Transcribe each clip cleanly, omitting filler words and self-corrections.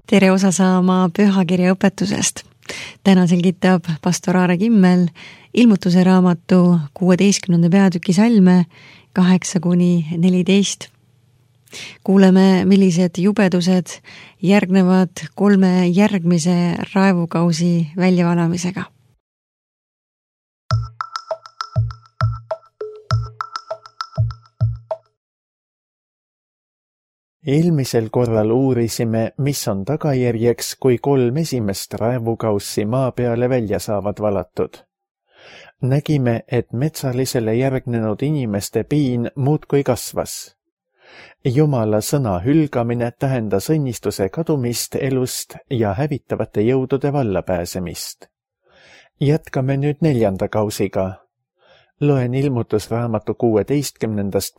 Tere osa saama pühakirja õpetusest. Täna selgitab pastor Aare Kimmel ilmutuse raamatu 16. peatüki salme 8-14. Kuuleme, millised jubedused järgnevad 3 järgmise raevukausi väljavalamisega. Eelmisel korral uurisime, mis on tagajärjeks, kui 3 esimest raevukaussi maa peale välja saavad valatud. Nägime, et metsalisele järgnenud inimeste piin muudkui kasvas. Jumala sõna hülgamine tähendas õnnistuse kadumist elust ja hävitavate jõudude vallapääsemist. Jätkame nüüd 4. kausiga. Loen ilmutusraamatu 16.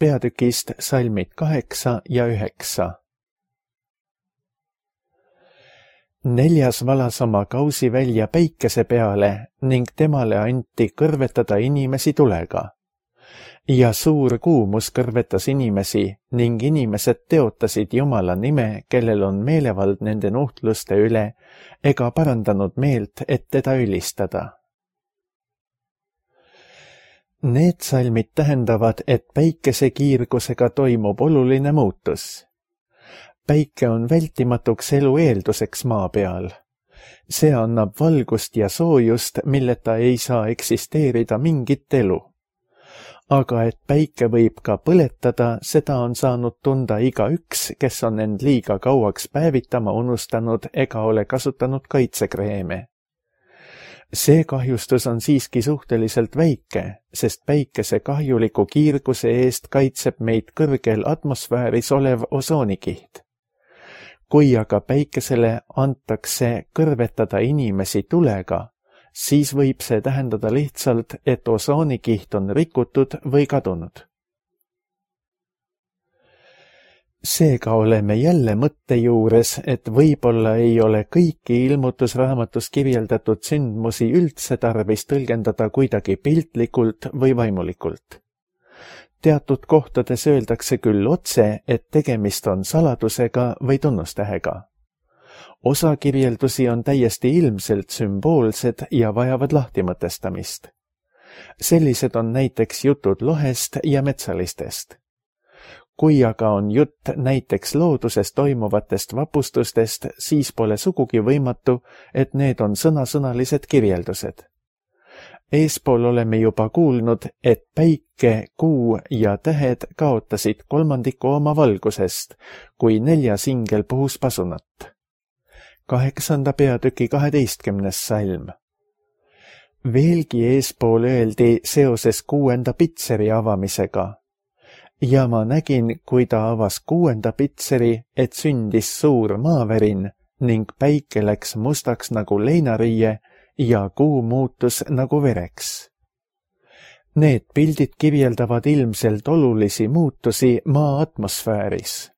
peatükist salmid 8 ja 9. 4. valas oma kausi välja päikese peale ning temale anti kõrvetada inimesi tulega. Ja suur kuumus kõrvetas inimesi ning inimesed teotasid Jumala nime, kellel on meelevald nende nuhtluste üle, ega parandanud meelt, et teda ülistada. Need salmid tähendavad, et päikese kiirgusega toimub oluline muutus. Päike on vältimatuks elu eelduseks maa peal. See annab valgust ja soojust, milleta ei saa eksisteerida mingit elu. Aga et päike võib ka põletada, seda on saanud tunda igaüks, kes on end liiga kauaks päevitama unustanud ega ole kasutanud kaitsekreeme. See kahjustus on siiski suhteliselt väike, sest päikese kahjuliku kiirguse eest kaitseb meid kõrgel atmosfääris olev osoonikiht. Kui aga päikesele antakse kõrvetada inimesi tulega, siis võib see tähendada lihtsalt, et osoonikiht on rikutud või kadunud. Seega oleme jälle mõtte juures, et võib-olla ei ole kõiki ilmutusraamatus kirjeldatud sündmusi üldse tarvis tõlgendada kuidagi piltlikult või vaimulikult. Teatud kohtades öeldakse küll otse, et tegemist on saladusega või tunnustähega. Osa kirjeldusi on täiesti ilmselt sümboolsed ja vajavad lahtimõtestamist. Sellised on näiteks jutud lohest ja metsalistest. Kui aga on jutt näiteks looduses toimuvatest vapustustest, siis pole sugugi võimatu, et need on sõnasõnalised kirjeldused. Eespool oleme juba kuulnud, et päike, kuu ja tähed kaotasid 1/3 oma valgusest, kui 4. ingel puhus pasunat. 8. peatüki 12. salm. Veelgi eespool öeldi seoses 6. pitseri avamisega. Ja ma nägin, kui ta avas 6. pitseri, et sündis suur maavärin ning päike läks mustaks nagu leinariie ja kuu muutus nagu vereks. Need pildid kirjeldavad ilmselt olulisi muutusi maa atmosfääris.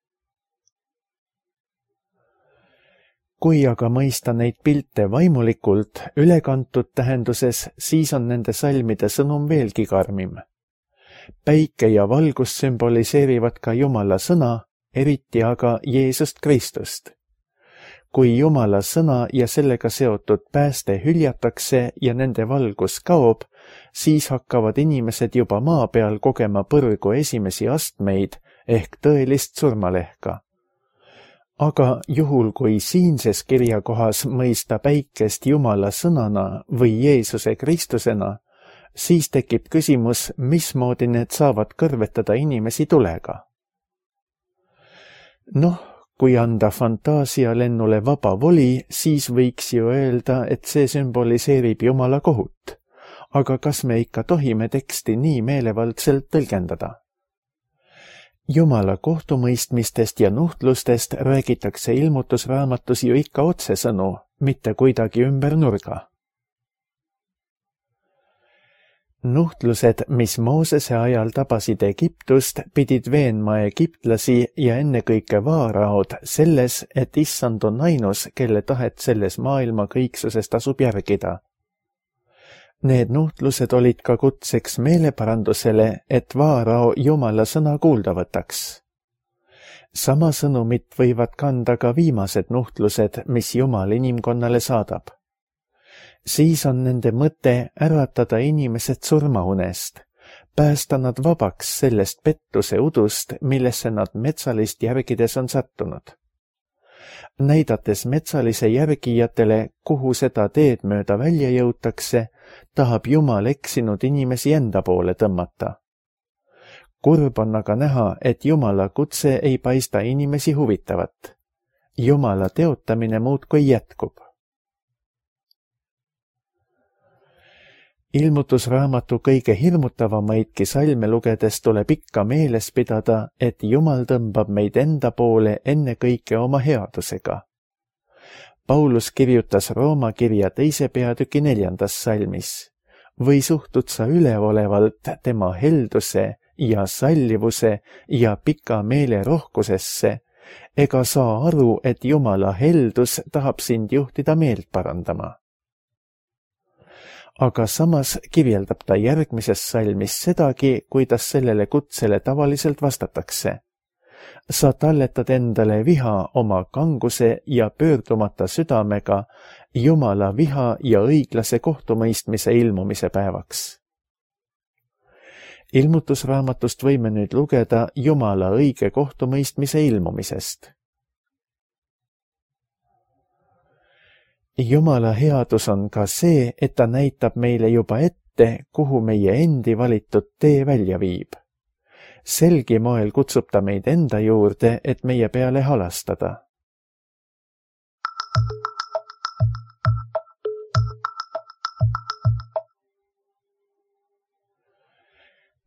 Kui aga mõista neid pilte vaimulikult ülekantud tähenduses, siis on nende salmide sõnum veelgi karmim. Päike ja valgus sümboliseerivad ka Jumala sõna, eriti aga Jeesust Kristust. Kui Jumala sõna ja sellega seotud pääste hüljatakse ja nende valgus kaob, siis hakkavad inimesed juba maa peal kogema põrgu esimesi astmeid ehk tõelist surmalehka. Aga juhul, kui siinses kirjakohas mõista päikest Jumala sõnana või Jeesuse Kristusena, siis tekib küsimus, mismoodi need saavad kõrvetada inimesi tulega. Kui anda fantaasialennule vaba voli, siis võiks ju öelda, et see sümboliseerib Jumala kohut. Aga kas me ikka tohime teksti nii meelevaldselt tõlgendada? Jumala kohtumõistmistest ja nuhtlustest räägitakse ilmutusraamatus ju ikka otsesõnu, mitte kuidagi ümber nurga. Nuhtlused, mis Moosese ajal tabasid Egiptust, pidid veenma egiptlasi ja ennekõike vaaraod selles, et Issand on ainus, kelle tahet selles maailma kõiksuses tasub järgida. Need nuhtlused olid ka kutseks meeleparandusele, et vaarao Jumala sõna kuulda võtaks. Sama sõnumit võivad kanda ka viimased nuhtlused, mis Jumal inimkonnale saadab. Siis on nende mõte äratada inimesed surmaunest, päästa nad vabaks sellest pettuse udust, millesse nad metsalist järgides on sattunud. Näidates metsalise järgijatele, kuhu seda teed mööda välja jõutakse, tahab Jumal eksinud inimesi enda poole tõmmata. Kurb on aga näha, et Jumala kutse ei paista inimesi huvitavat. Jumala teotamine muudkui jätkub. Ilmutusraamatu kõige hirmutavamaidki salme lugedes tuleb ikka meeles pidada, et Jumal tõmbab meid enda poole ennekõike oma headusega. Paulus kirjutas Rooma kirja 2. peatüki 4. salmis. Või suhtud sa üleolevalt tema helduse ja sallivuse ja pika meele rohkusesse, ega saa aru, et Jumala heldus tahab sind juhtida meelt parandama. Aga samas kirjeldab ta järgmises salmis sedagi, kuidas sellele kutsele tavaliselt vastatakse. Sa talletad endale viha oma kanguse ja pöördumata südamega Jumala viha ja õiglase kohtumõistmise ilmumise päevaks. Ilmutusraamatust võime nüüd lugeda Jumala õige kohtumõistmise ilmumisest. Jumala headus on ka see, et ta näitab meile juba ette, kuhu meie endi valitud tee välja viib. Selgi moel kutsub ta meid enda juurde, et meie peale halastada.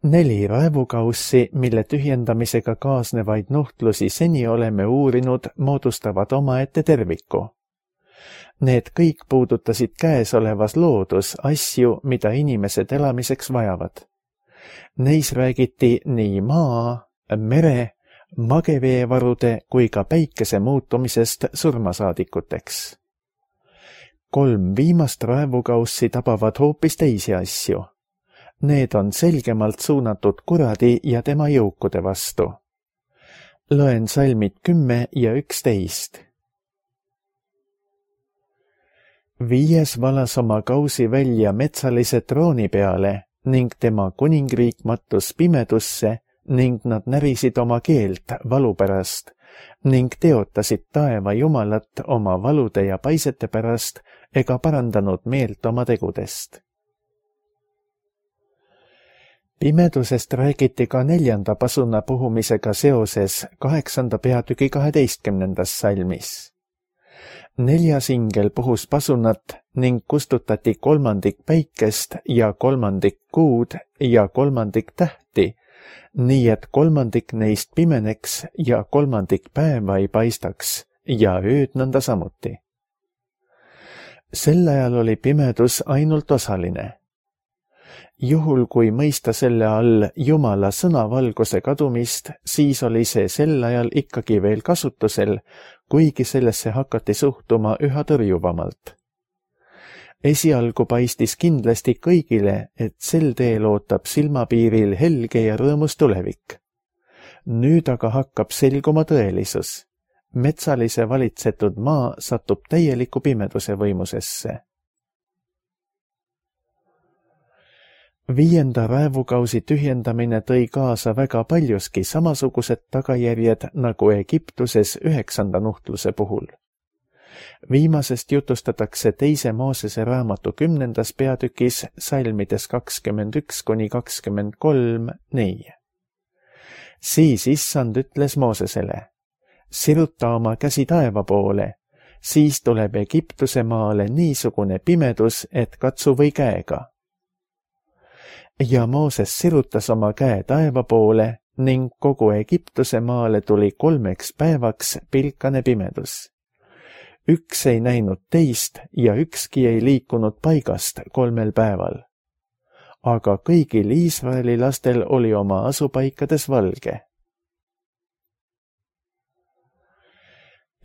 Neli raevukaussi, mille tühjendamisega kaasnevaid nuhtlusi seni oleme uurinud, moodustavad omaette terviku. Need kõik puudutasid käesolevas loodus asju, mida inimesed elamiseks vajavad. Neis räägiti nii maa, mere, mageveevarude kui ka päikese muutumisest surmasaadikuteks. 3 viimast raevukaussi tabavad hoopis teisi asju. Need on selgemalt suunatud kuradi ja tema jõukude vastu. Loen salmid 10 ja 11. 5. valas oma kausi välja metsalise trooni peale ning tema kuningriik mattus pimedusse ning nad närisid oma keelt valu pärast ning teotasid taeva Jumalat oma valude ja paisete pärast ega parandanud meelt oma tegudest. Pimedusest räägiti ka 4. pasuna puhumisega seoses 8. peatüki 12. salmis. 4. ingel puhus pasunat ning kustutati 3. päikest ja 3. kuud ja 3. tähti, nii et 3. neist pimeneks ja 3. päeva ei paistaks ja ööd nõnda samuti. Sel ajal oli pimedus ainult osaline. Juhul, kui mõista selle all Jumala sõnavalguse kadumist, siis oli see sel ajal ikkagi veel kasutusel, kuigi sellesse hakati suhtuma üha tõrjuvamalt. Esialgu paistis kindlasti kõigile, et sel teel ootab silmapiiril helge ja rõõmus tulevik. Nüüd aga hakkab selguma tõelisus. Metsalise valitsetud maa satub täieliku pimeduse võimusesse. 5. raevukausi tühjendamine tõi kaasa väga paljuski samasugused tagajärjed nagu Egiptuses 9. nuhtluse puhul. Viimasest jutustatakse 2. Moosese raamatu 10. peatükis salmides 21–23 nii. Siis issand ütles Moosesele, siruta oma käsi taeva poole, siis tuleb Egiptuse maale niisugune pimedus, et katsu või käega. Ja Mooses sirutas oma käe taeva poole ning kogu Egiptuse maale tuli 3 päevaks pilkane pimedus. Üks ei näinud teist ja ükski ei liikunud paigast 3 päeval. Aga kõigil Iisraeli lastel oli oma asupaikades valge.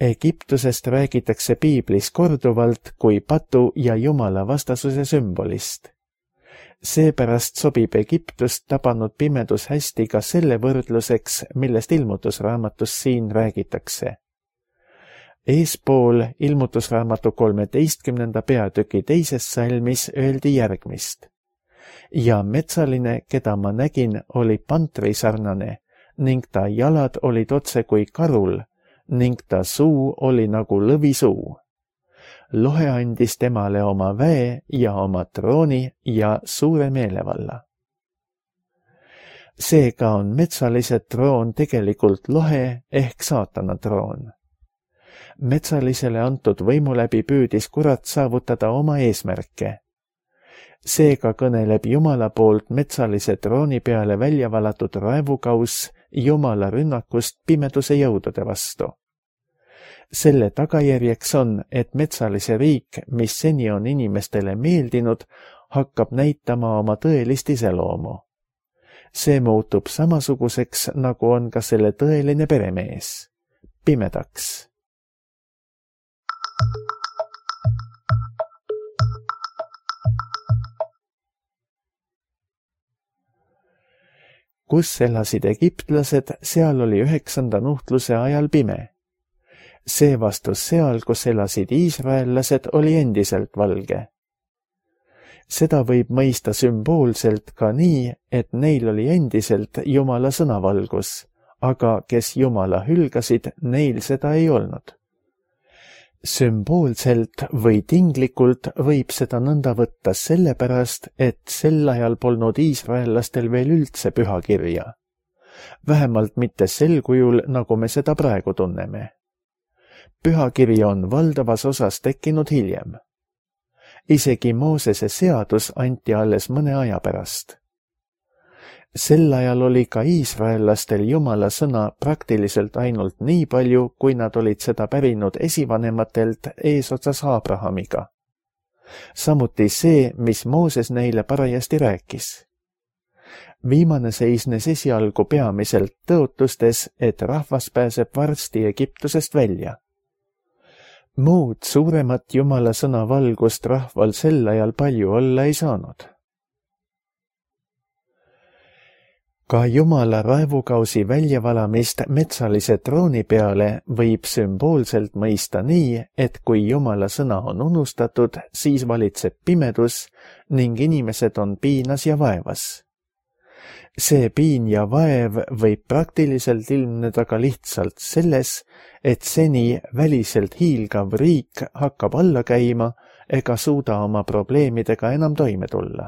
Egiptusest räägitakse piiblis korduvalt kui patu ja Jumala vastasuse sümbolist. Seepärast sobib Egiptust tabanud pimedus hästi ka selle võrdluseks, millest ilmutusraamatus siin räägitakse. Eespool ilmutusraamatu 13. peatüki 2. salmis öeldi järgmist. Ja metsaline, keda ma nägin, oli pantrisarnane ning ta jalad olid otse kui karul ning ta suu oli nagu lõvisuu. Lohe andis temale oma väe ja oma trooni ja suure meelevalla. Seega on metsalise troon tegelikult lohe ehk saatana troon. Metsalisele antud võimu läbi püüdis kurat saavutada oma eesmärke. Seega kõneleb Jumala poolt metsalise trooni peale välja valatud raevukauss Jumala rünnakust pimeduse jõudude vastu. Selle tagajärjeks on, et metsalise riik, mis seni on inimestele meeldinud, hakkab näitama oma tõelist iseloomu. See muutub samasuguseks, nagu on ka selle tõeline peremees, pimedaks. Kus elasid egiptlased, seal oli 9. nuhtluse ajal pime. Seevastus seal, kus elasid iisraellased, oli endiselt valge. Seda võib mõista sümboolselt ka nii, et neil oli endiselt Jumala sõnavalgus, aga kes Jumala hülgasid, neil seda ei olnud. Sümboolselt või tinglikult võib seda nõnda võtta sellepärast, et sel ajal polnud iisraellastel veel üldse pühakirja. Vähemalt mitte sel kujul, nagu me seda praegu tunneme. Pühakiri on valdavas osas tekkinud hiljem. Isegi Moosese seadus anti alles mõne aja pärast. Sel ajal oli ka iisraellastel Jumala sõna praktiliselt ainult nii palju, kui nad olid seda pärinud esivanematelt eesotsas Abrahamiga. Samuti see, mis Mooses neile parajasti rääkis. Viimane seisnes esialgu peamiselt tõotustes, et rahvas pääseb varsti Egiptusest välja. Muud suuremat Jumala sõna valgust rahval sel ajal palju olla ei saanud. Ka Jumala raevukausi väljavalamist metsalise trooni peale võib sümboolselt mõista nii, et kui Jumala sõna on unustatud, siis valitseb pimedus ning inimesed on piinas ja vaevas. See piin ja vaev võib praktiliselt ilmneda ka lihtsalt selles, et seni väliselt hiilgav riik hakkab alla käima ega suuda oma probleemidega enam toime tulla.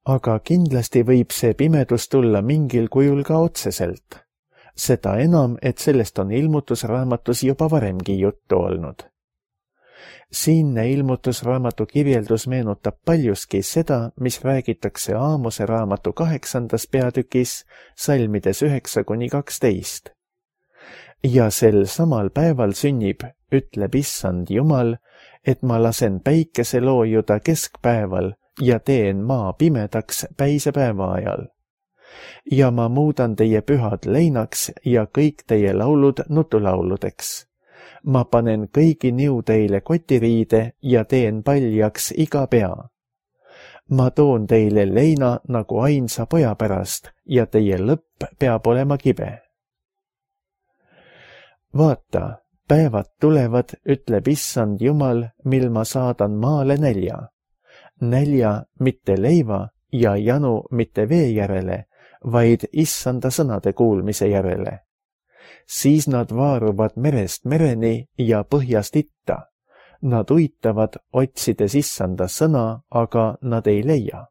Aga kindlasti võib see pimedus tulla mingil kujul ka otseselt. Seda enam, et sellest on ilmutusraamatus juba varemgi juttu olnud. Siinne ilmutusraamatu kirjeldus meenutab paljuski seda, mis räägitakse Aamose raamatu 8. peatükis salmides 9-12. Ja sel samal päeval sünnib, ütleb Issand Jumal, et ma lasen päikese loojuda keskpäeval ja teen maa pimedaks päisepäeva ajal. Ja ma muudan teie pühad leinaks ja kõik teie laulud nutulauludeks. Ma panen kõigi niu teile kotiriide ja teen paljaks iga pea. Ma toon teile leina nagu ainsa poja pärast ja teie lõpp peab olema kibe. Vaata, päevad tulevad, ütleb Issand Jumal, mil ma saadan maale nälja. Nälja mitte leiva ja janu mitte vee järele, vaid Issanda sõnade kuulmise järele. Siis nad vaaruvad merest mereni ja põhjast itta. Nad uitavad, otsides Issanda sõna, aga nad ei leia.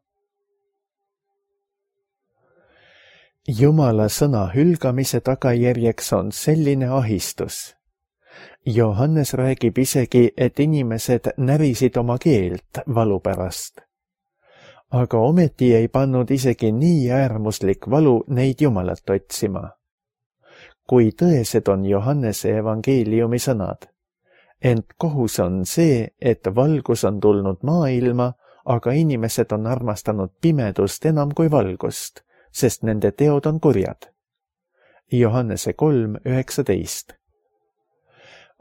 Jumala sõna hülgamise tagajärjeks on selline ahistus. Johannes räägib isegi, et inimesed närisid oma keelt valu pärast. Aga ometi ei pannud isegi nii äärmuslik valu neid Jumalat otsima. Kui tõesed on Johannese evangeeliumi sõnad. Ent kohus on see, et valgus on tulnud maailma, aga inimesed on armastanud pimedust enam kui valgust, sest nende teod on kurjad. Johannese 3:19.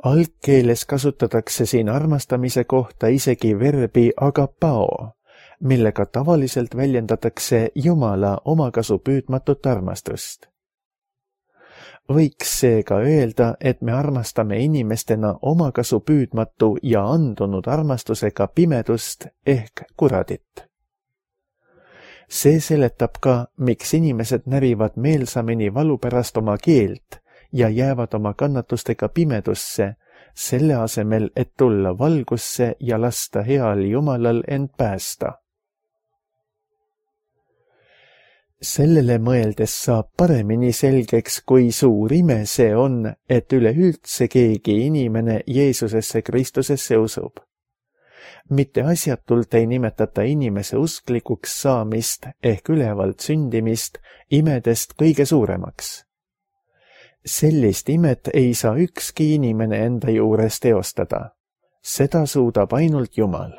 Algkeeles kasutatakse siin armastamise kohta isegi verbi agapao, millega tavaliselt väljendatakse Jumala omakasu püüdmatut armastust. Võiks seega öelda, et me armastame inimestena omakasu püüdmatu ja andunud armastusega pimedust ehk kuradit. See seletab ka, miks inimesed närivad meelsamini valu pärast oma keelt ja jäävad oma kannatustega pimedusse, selle asemel, et tulla valgusse ja lasta heal Jumalal end päästa. Sellele mõeldes saab paremini selgeks, kui suur ime see on, et üleüldse keegi inimene Jeesusesse Kristusesse usub. Mitte asjatult ei nimetata inimese usklikuks saamist ehk ülevalt sündimist imedest kõige suuremaks. Sellist imet ei saa ükski inimene enda juures teostada. Seda suudab ainult Jumal.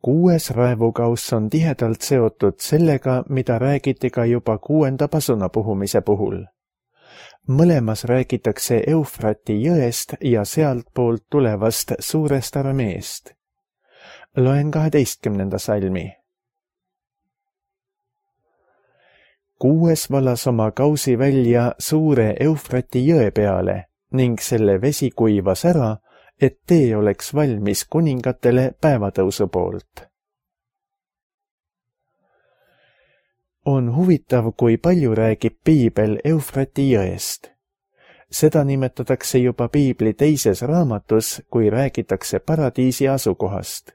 Kuues raevukauss on tihedalt seotud sellega, mida räägiti ka juba 6. pasuna puhumise puhul. Mõlemas räägitakse Eufrati jõest ja sealtpoolt tulevast suurest armeest. Loen 12. salmi. 6. valas oma kausi välja suure Eufrati jõe peale ning selle vesi kuivas ära, et tee oleks valmis kuningatele päevatõusu poolt. On huvitav, kui palju räägib piibel Eufrati jõest. Seda nimetatakse juba piibli 2. raamatus, kui räägitakse paradiisi asukohast.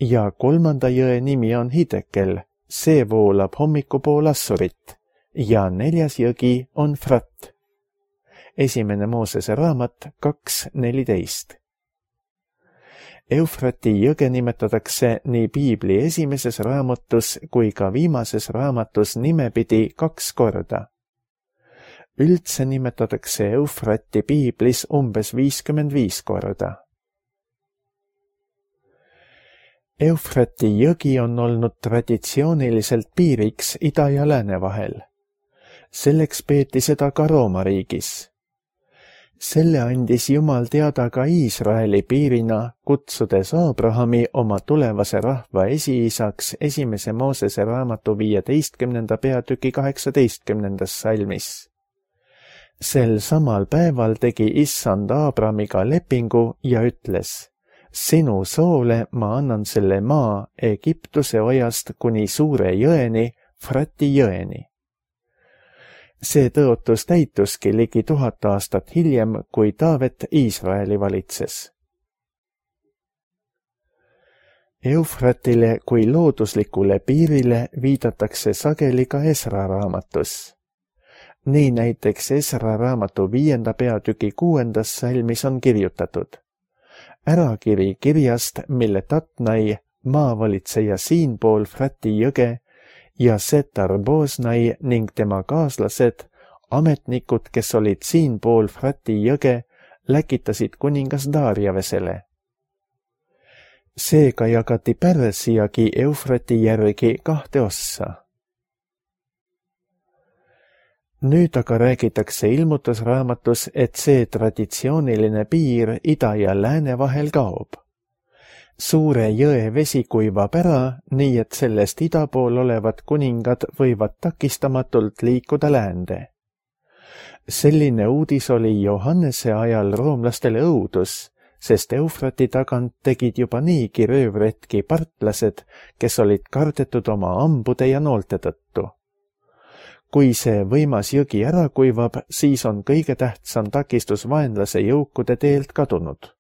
Ja 3. jõe nimi on Hidekel, see voolab hommikupool Assurit, ja 4. jõgi on Frat. 1. Moosese raamat 2.14. Eufrati jõge nimetatakse nii piibli 1. raamatus kui ka viimases raamatus nimepidi 2 korda. Üldse nimetatakse Eufrati piiblis umbes 55 korda. Eufrati jõgi on olnud traditsiooniliselt piiriks ida ja lääne vahel. Selleks peeti seda ka Rooma riigis. Selle andis Jumal teada ka Iisraeli piirina, kutsudes Abrahami oma tulevase rahva esiisaks 1. Moosese raamatu 15. peatüki 18. salmis. Sel samal päeval tegi Issand Abramiga lepingu ja ütles: sinu soole ma annan selle maa Egiptuse ojast kuni suure jõeni, Frati jõeni. See tõotus täituski ligi 1000 aastat hiljem, kui Taavet Iisraeli valitses. Eufratile kui looduslikule piirile viidatakse sageli ka Esra raamatus. Nii näiteks Esra raamatu 5. peatüki 6. salmis on kirjutatud: ärakiri kirjast, mille Tatnai, maavalitseja siinpool Frati jõge, ja Setar-Boznai ning tema kaaslased, ametnikud, kes olid siinpool Frati jõge, läkitasid kuningas Darjavesele. Seega jagati Pärsiagi Eufrati järgi 2 ossa. Nüüd aga räägitakse ilmutusraamatus, et see traditsiooniline piir ida ja lääne vahel kaob. Suure jõe vesi kuivab ära, nii et sellest ida pool olevad kuningad võivad takistamatult liikuda läände. Selline uudis oli Johannese ajal roomlastele õudus, sest Eufrati tagant tegid juba niigi röövretki partlased, kes olid kardetud oma ambude ja noolte tõttu. Kui see võimas jõgi ära kuivab, siis on kõige tähtsam takistus vaenlase jõukude teelt kadunud.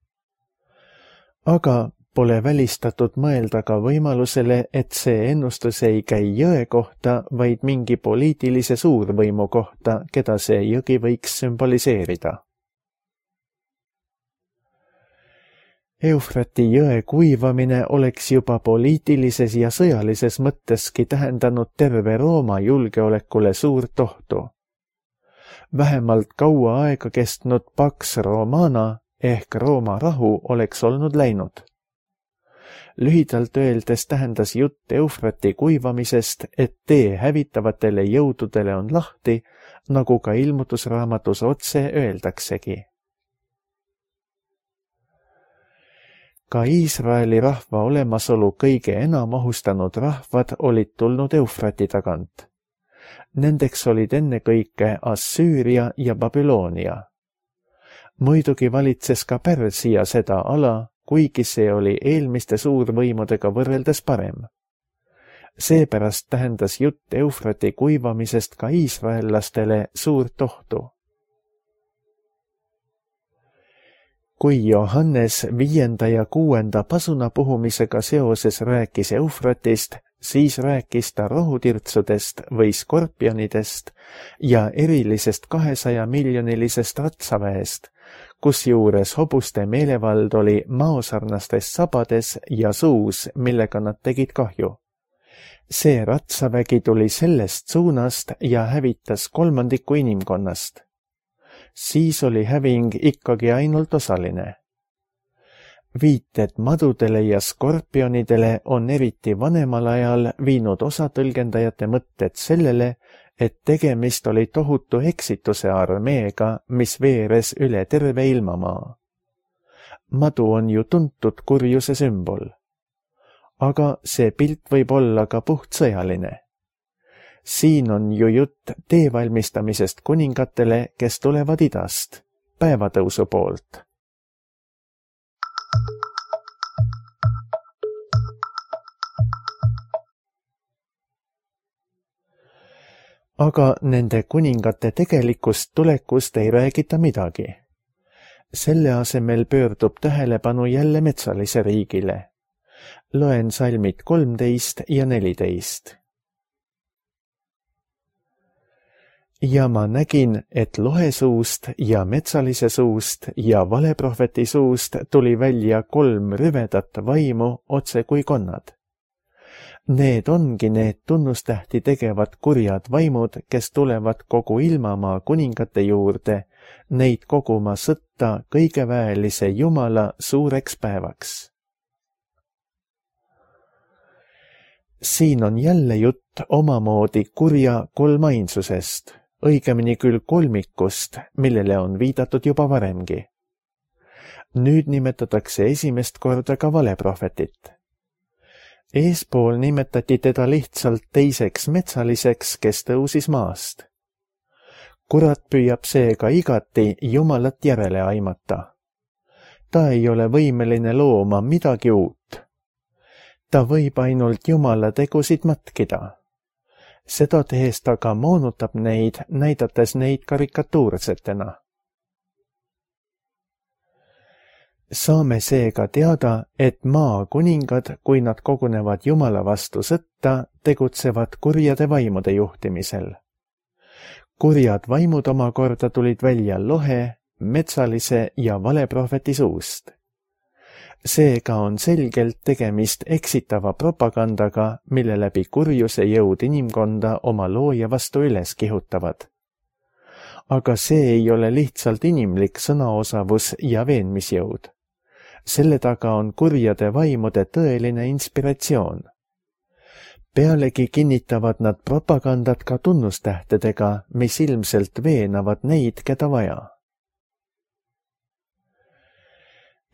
Aga pole välistatud mõelda ka võimalusele, et see ennustus ei käi jõe kohta, vaid mingi poliitilise suurvõimu kohta, keda see jõgi võiks sümboliseerida. Eufrati jõe kuivamine oleks juba poliitilises ja sõjalises mõtteski tähendanud terve Rooma julgeolekule suurt ohtu. Vähemalt kaua aega kestnud Pax Romana ehk Rooma rahu oleks olnud läinud. Lühidalt öeldes tähendas jutt Eufrati kuivamisest, et tee hävitavatele jõududele on lahti, nagu ka ilmutusraamatus otse öeldaksegi. Ka Iisraeli rahva olemasolu kõige enam ohustanud rahvad olid tulnud Eufrati tagant. Nendeks olid ennekõike Assüüria ja Babyloonia. Muidugi valitses ka Pärsia seda ala, kuigi see oli eelmiste suurvõimudega võrreldes parem. Seepärast tähendas jutt Eufrati kuivamisest ka iisraellastele suurt ohtu. Kui Johannes 5. ja 6. pasuna puhumisega seoses rääkis Eufratist, siis rääkis ta rohutirtsudest või skorpionidest ja erilisest 200-miljonilisest ratsaväest, kusjuures hobuste meelevald oli maosarnastes sabades ja suus, millega nad tegid kahju. See ratsavägi tuli sellest suunast ja hävitas 1/3 inimkonnast. Siis oli häving ikkagi ainult osaline. Viited madudele ja skorpionidele on eriti vanemal ajal viinud osa tõlgendajate mõtted sellele, et tegemist oli tohutu eksituse armeega, mis veeres üle terve ilmamaa. Madu on ju tuntud kurjuse sümbol. Aga see pilt võib olla ka puhtsõjaline. Siin on ju jutt tee valmistamisest kuningatele, kes tulevad idast, päevatõusu poolt. Aga nende kuningate tegelikust tulekust ei räägita midagi. Selle asemel pöördub tähelepanu jälle metsalise riigile. Loen salmid 13 ja 14. Ja ma nägin, et lohe suust ja metsalise suust ja valeprohveti suust tuli välja 3 rüvedat vaimu otse kui konnad. Need ongi need tunnustähti tegevad kurjad vaimud, kes tulevad kogu ilmamaa kuningate juurde, neid koguma sõtta kõigeväelise Jumala suureks päevaks. Siin on jälle jutt omamoodi kurja kolmainsusest, õigemini küll kolmikust, millele on viidatud juba varemgi. Nüüd nimetatakse esimest korda ka valeprohvetit. Eespool nimetati teda lihtsalt teiseks metsaliseks, kes tõusis maast. Kurat püüab seega igati Jumalat järele aimata. Ta ei ole võimeline looma midagi uut. Ta võib ainult Jumala tegusid matkida. Seda tehes ta ka moonutab neid, näidates neid karikatuursetena. Saame seega teada, et maa kuningad, kui nad kogunevad Jumala vastu sõtta, tegutsevad kurjade vaimude juhtimisel. Kurjad vaimud omakorda tulid välja lohe, metsalise ja valeprohveti suust. Seega on selgelt tegemist eksitava propagandaga, mille läbi kurjuse jõud inimkonda oma looja vastu üles kihutavad. Aga see ei ole lihtsalt inimlik sõnaosavus ja veenmisjõud. Selle taga on kurjade vaimude tõeline inspiratsioon. Pealegi kinnitavad nad propagandat ka tunnustähtedega, mis ilmselt veenavad neid, keda vaja.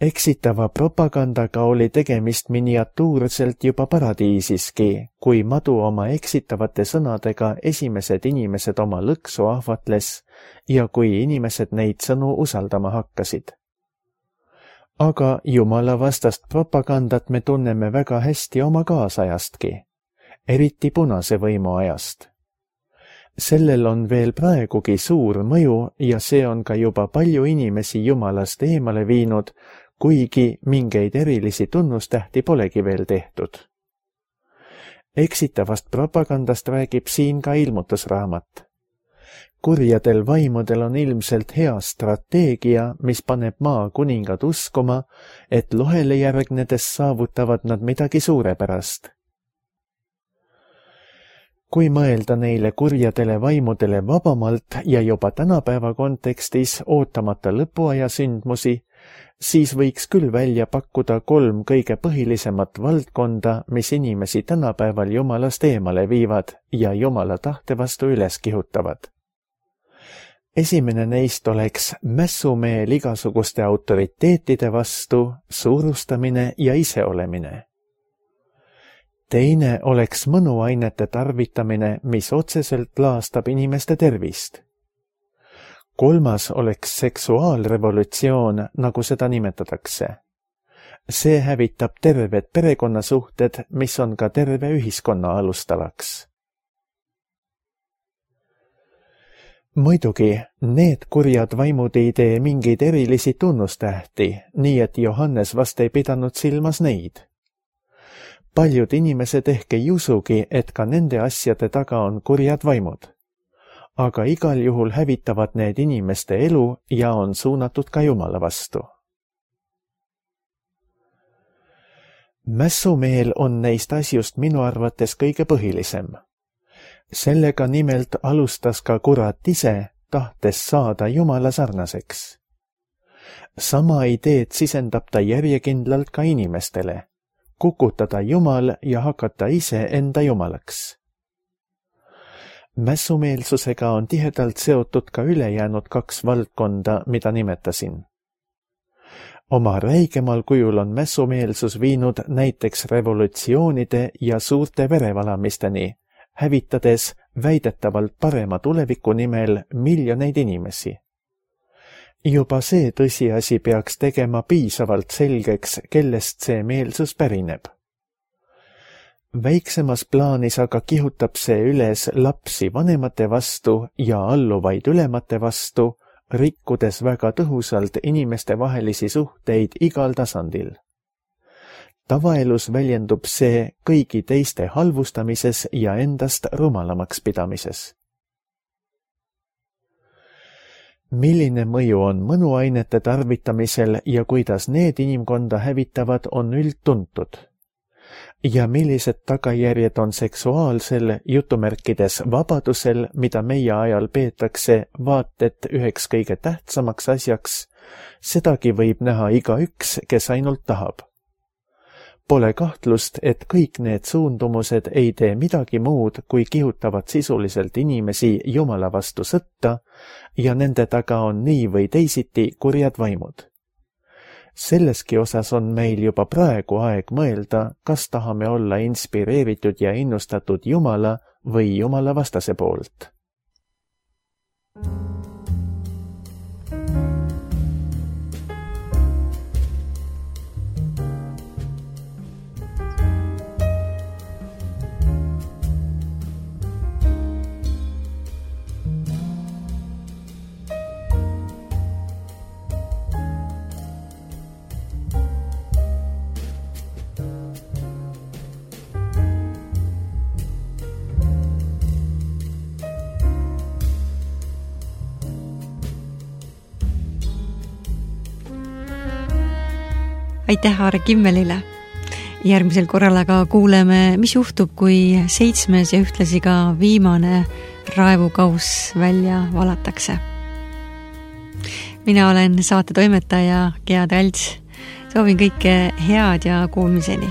Eksitava propagandaga oli tegemist miniatuurselt juba paradiisiski, kui madu oma eksitavate sõnadega esimesed inimesed oma lõksu ahvatles ja kui inimesed neid sõnu usaldama hakkasid. Aga Jumala vastast propagandat me tunneme väga hästi oma kaasajastki, eriti punase võimu ajast. Sellel on veel praegugi suur mõju ja see on ka juba palju inimesi Jumalast eemale viinud, kuigi mingeid erilisi tunnustähti polegi veel tehtud. Eksitavast propagandast räägib siin ka ilmutusraamat. Kurjadel vaimudel on ilmselt hea strateegia, mis paneb maa kuningad uskuma, et lohele järgnedes saavutavad nad midagi suurepärast. Kui mõelda neile kurjadele vaimudele vabamalt ja juba tänapäeva kontekstis ootamata lõpuaja sündmusi, siis võiks küll välja pakkuda 3 kõige põhilisemat valdkonda, mis inimesi tänapäeval Jumalast eemale viivad ja Jumala tahte vastu üles kihutavad. Esimene neist oleks mässumeel igasuguste autoriteetide vastu, suurustamine ja iseolemine. Teine oleks mõnuainete tarvitamine, mis otseselt laastab inimeste tervist. 3. oleks seksuaalrevolutsioon, nagu seda nimetatakse. See hävitab terved perekonnasuhted, mis on ka terve ühiskonna alustalaks. Muidugi, need kurjad vaimud ei tee mingeid erilisi tunnustähti, nii et Johannes vast ei pidanud silmas neid. Paljud inimesed ehk ei usugi, et ka nende asjade taga on kurjad vaimud. Aga igal juhul hävitavad need inimeste elu ja on suunatud ka Jumala vastu. Mässumeel on neist asjust minu arvates kõige põhilisem. Sellega nimelt alustas ka kurat ise, tahtes saada Jumala sarnaseks. Sama ideed sisendab ta järjekindlalt ka inimestele, kukutada Jumal ja hakata ise enda Jumalaks. Mässumeelsusega on tihedalt seotud ka ülejäänud 2 valdkonda, mida nimetasin. Oma räigemal kujul on mässumeelsus viinud näiteks revolutsioonide ja suurte verevalamisteni, hävitades väidetavalt parema tuleviku nimel miljoneid inimesi. Juba see tõsiasi peaks tegema piisavalt selgeks, kellest see meelsus pärineb. Väiksemas plaanis aga kihutab see üles lapsi vanemate vastu ja alluvaid ülemate vastu, rikkudes väga tõhusalt inimeste vahelisi suhteid igal tasandil. Tavaelus väljendub see kõigi teiste halvustamises ja endast rumalamaks pidamises. Milline mõju on mõnuainete tarvitamisel ja kuidas need inimkonda hävitavad, on üldtuntud. Ja millised tagajärjed on seksuaalsel jutumärkides vabadusel, mida meie ajal peetakse vaat et üheks kõige tähtsamaks asjaks, sedagi võib näha igaüks, kes ainult tahab. Pole kahtlust, et kõik need suundumused ei tee midagi muud, kui kihutavad sisuliselt inimesi Jumala vastu sõtta ja nende taga on nii või teisiti kurjad vaimud. Selleski osas on meil juba praegu aeg mõelda, kas tahame olla inspireeritud ja innustatud Jumala või Jumala vastase poolt. Aitäh Aare Kimmelile. Järgmisel korral aga kuuleme, mis juhtub, kui 7. ja ühtlasi ka viimane raevukauss välja valatakse. Mina olen saate toimetaja Gea Talts. Soovin kõike head ja kuulmiseni.